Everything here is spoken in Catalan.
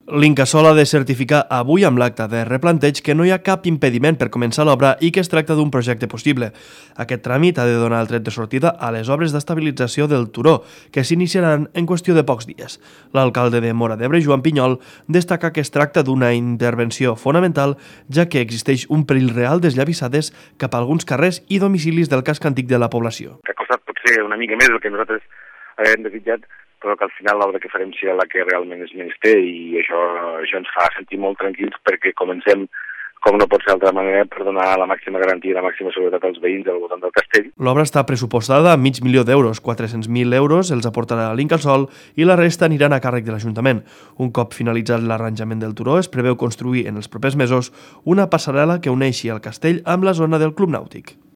L'Incasòl ha de certificar avui amb l'acte de replanteig que no hi ha cap impediment per començar l'obra i que es tracta d'un projecte possible. Aquest tràmit ha de donar el tret de sortida a les obres d'estabilització del turó, que s'iniciaran en qüestió de pocs dies. L'alcalde de Móra d'Ebre, Joan Pinyol, destaca que es tracta d'una intervenció fonamental, ja que existeix un perill real d'esllavissades cap a alguns carrers i domicilis del casc antic de la població. Que ha costat potser una mica més del que nosaltres hem desitjat, però que al final l'obra que farem serà la que realment és menester i això ens fa sentir molt tranquils perquè comencem, com no pot ser d'altra manera, per donar la màxima garantia i la màxima seguretat als veïns al voltant del castell. L'obra està pressupostada a $500.000, 400.000 euros els aportarà l'Incasòl i la resta aniran a càrrec de l'Ajuntament. Un cop finalitzat l'arranjament del turó, es preveu construir en els propers mesos una passarel·la que uneixi el castell amb la zona del Club Nàutic.